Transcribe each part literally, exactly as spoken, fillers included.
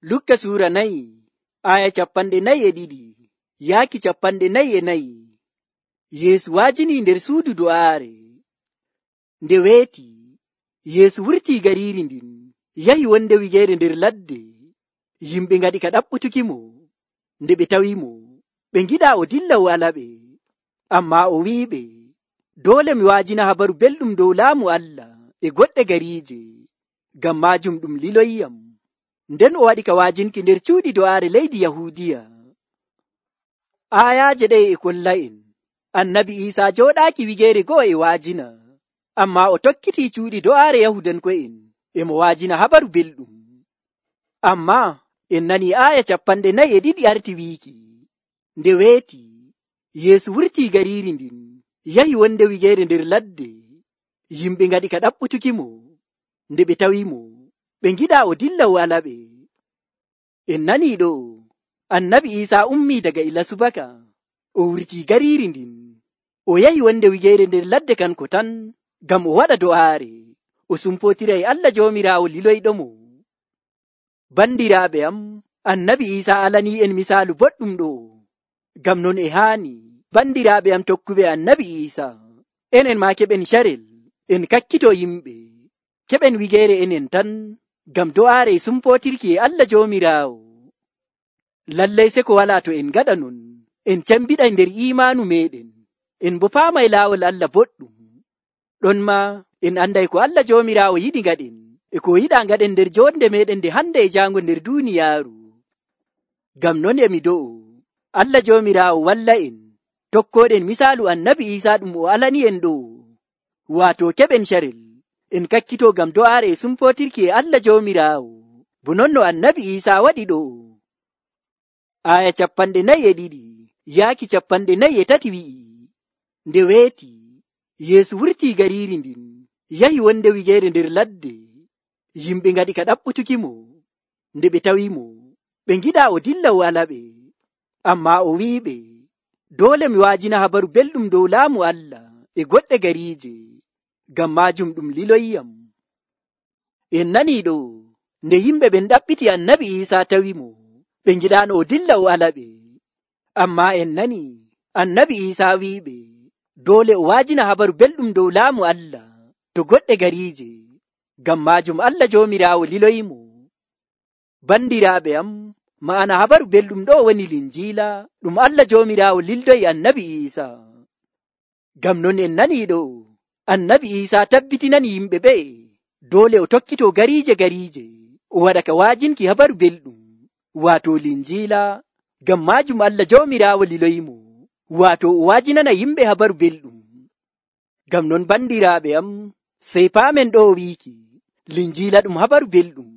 Lukka suura nayi aya capanɗe nayi e ɗiɗi yaaki capanɗe nayi e nayi. Yeesu waajini nder suudu do'aare. Nde weeti Yeesu wurtii gariiri ndin yahi wonde wigeere nder ladde. Yimɓe ngaɗi ka ɗaɓɓutukimo. Nde ɓe tawimo ɓe ngiɗaa o dilla o alaɓe. Ammaa o wi'iɓe, doole mi waajina habaru belɗum dow laamu Allah e goɗɗe gariije, ngam maajum ɗum liloyiyam. Nden o waɗi ka waajinki nder cuuɗi do'aare leydi Yahuudiya. Aayaaje ɗe e kolla'en Annabi Iisaa jooɗaaki wigeere go'o e waajina, ammaa o tokkitii cuuɗi do'aare Yahudanko'en e mo waajina habaru belɗum. Ammaa en nanii aaya capanɗe nayi e ɗiɗi arti wiiki, nde weeti Yeesu wurtii gariiri ndin yahi wonde wigeere nder ladde. Yimɓe ngaɗi ka ɗaɓɓutukimo. Nde ɓe tawimo ɓe ngiɗaa o dilla o alaɓe. En nanii ɗo Annabi Iisaa ummii daga ila subaka o wurtii gariiri ndin o yahi wonde wigeere nder ladde kanko tan ngam o waɗa do'aare o sumpotiray Allah Joomiraawo liloyɗomo. Bandiraaɓe am, Annabi Iisaa alanii en misaalu boɗɗum ɗo. Ngam non e haani bandiraaɓe am tokkuɓe Annabi Iisaa, enen maa keɓen carel en kakkito yimɓe, keɓen wigeere enen tan ngam do'aare e sumpotirki e Allah Joomiraawo. Lallay se ko walaa to en gaɗa non, en cambiɗay nder iimaanu meeɗen, en bo paamay laawol Allah boɗɗum. Ɗon ma en anday ko Allah Joomiraawo yiɗi ngaɗen e ko yiɗaa ngaɗen nder joonde meeɗen nde hande e jaango nder duuniyaaru. Ngam non emi do'o Allah Joomiraawo walla en tokkoɗen misaalu Annabi Iisaa ɗum o alani en ɗo, waato keɓen carel en kakkito ngam do'aare e sumpotirki e Allah Joomiraawo, bo non no Annabi Iisaa waɗi ɗo. Aya capanɗe nayi e ɗiɗi yaaki capanɗe nayi e tati wi'i, nde weeti Yeesu wurtii gariiri ndin yahi wonde wigeere nder ladde. Yimɓe ngaɗi ka ɗaɓɓutukimo. Nde ɓe tawimo ɓe ngiɗaa o dilla o alaɓe. Ammaa o wi'iɓe, doole mi waajina habaru belɗum dow laamu Allah e goɗɗe gariije, ngam maajum ɗum liloyiyam. En nanii ɗo nde yimɓe ɓen ɗaɓɓiti Annabi Iisaa tawimo ɓe ngiɗaano o dilla o alaɓe. Ammaa en nanii Annabi Iisaa wi'iɓe doole o waajina habaru belɗum dow laamu Allah to goɗɗe gariije, ngam maajum Allah Joomiraawo liloyimo. Bandiraaɓe am, ma'ana habaru belɗum ɗo woni linjiila ɗum Allah Joomiraawo lildoyi Annabi Iisaa. Ngam non en nanii ɗo Annabi Iisaa tabbitinani yimɓe ɓe doole o tokkito gariije gariije o waɗa ka waajinki habaru belɗum, waato linjiila, ngam maajum Allah Joomiraawo liloyimo, waato o waajinana yimɓe habaru belɗum. Ngam non bandiraaɓe am, sey paamen ɗo wiiki linjiila ɗum habaru belɗum.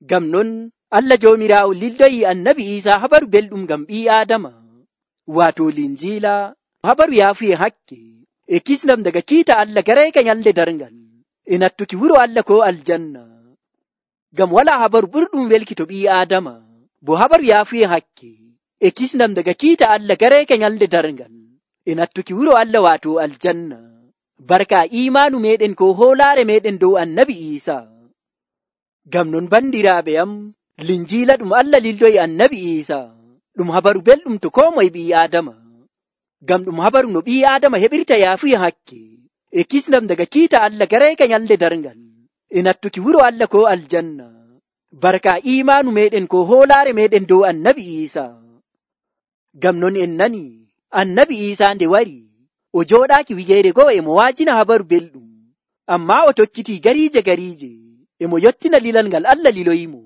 Ngam non Allah Joomiraawo lildoyi Annabi Iisaa habaru belɗum ngam ɓii Aadama, waato linjiila habaru yaafuye hakke e kisnam daga kiita Allah garayka nyalde darngal e nattuki wuro Allah ko aljanna. Ngam walaa habaru ɓurɗum welki to ɓii Aadama bo habaru yaafuye hakke e kisnam daga kiita Allah garayka nyalde darngal e nattuki wuro Allah waato aljanna, barka iimaanu meɗen ko hoolaare meɗen dow Annabi Iisaa. Ngam non bandiraaɓe am, linjiila ɗum Allah lildoyi Annabi Iisaa ɗum habaru belɗum to koo moye ɓii Aadama, ngam ɗum habaru no ɓii Aadama heɓirta yaafuya hakke e kisnam daga kiita Allah garayka nyalde darngal e nattuki wuro Allah ko aljanna, barka iimaanu meɗen ko hoolaare meɗen dow Annabi Iisaa. Ngam non en nanii Annabi Iisaa nde wari o jooɗaaki wigeere go'o e mo waajina habaru belɗum, ammaa o tokkitii gariije gariije e mo yottina lilal ngal Allah liloyimo,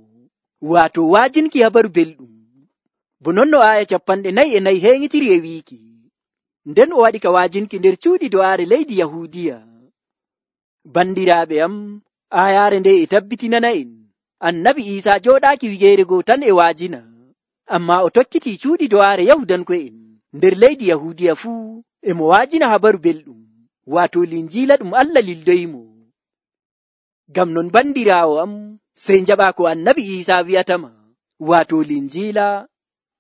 waato waajinki habaru belɗum. Bo non no aaya capanɗe nayi e nayi heeŋitiri e wiiki, nden o waɗi ka waajinki nder cuuɗi do'aare leydi Yahuudiya. Bandiraaɓe am, aayaare nde e tabbitinana en Annabi Iisaa jooɗaaki wigeere goo tan e waajina, ammaa o tokkitii cuuɗi do'aare Yahudanko'en nder leydi Yahuudiya fuu e mo waajina habaru belɗum, waato linjiila ɗum Allah lildoyimo. Ngam non bandiraawo am, sey njaɓaa ko Annabi Iisaa wi'atama, waato linjiila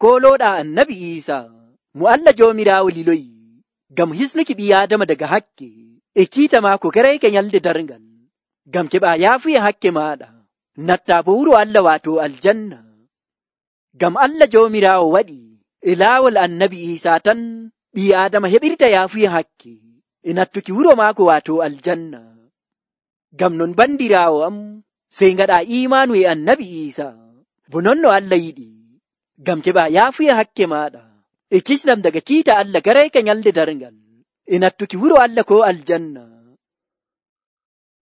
koolooɗaa Annabi Iisaa mo Allah Joomiraawo liloyi ngam hisnuki ɓii Aadama daga hakke e kiita maako garayka nyalde darngal, ngam keɓaa yaafuya hakke maaɗa, nattaa bo wuro Allah waato aljanna. Gam Allah joomiraawo waɗi e laawol annabi Iisaa tan ɓii Aadama heɓirta yaafuya hakke e nattuki wuro maako waato aljanna. Gam non bandiraawo am sey ngaɗa iimanu e annabi Iisaa bo non no Allah yiɗi, gam keɓa yaafuya hakke maaɗa e kisnam daga kiita Allah garayka nyalde darngal e nattuki wuro Allah ko aljanna.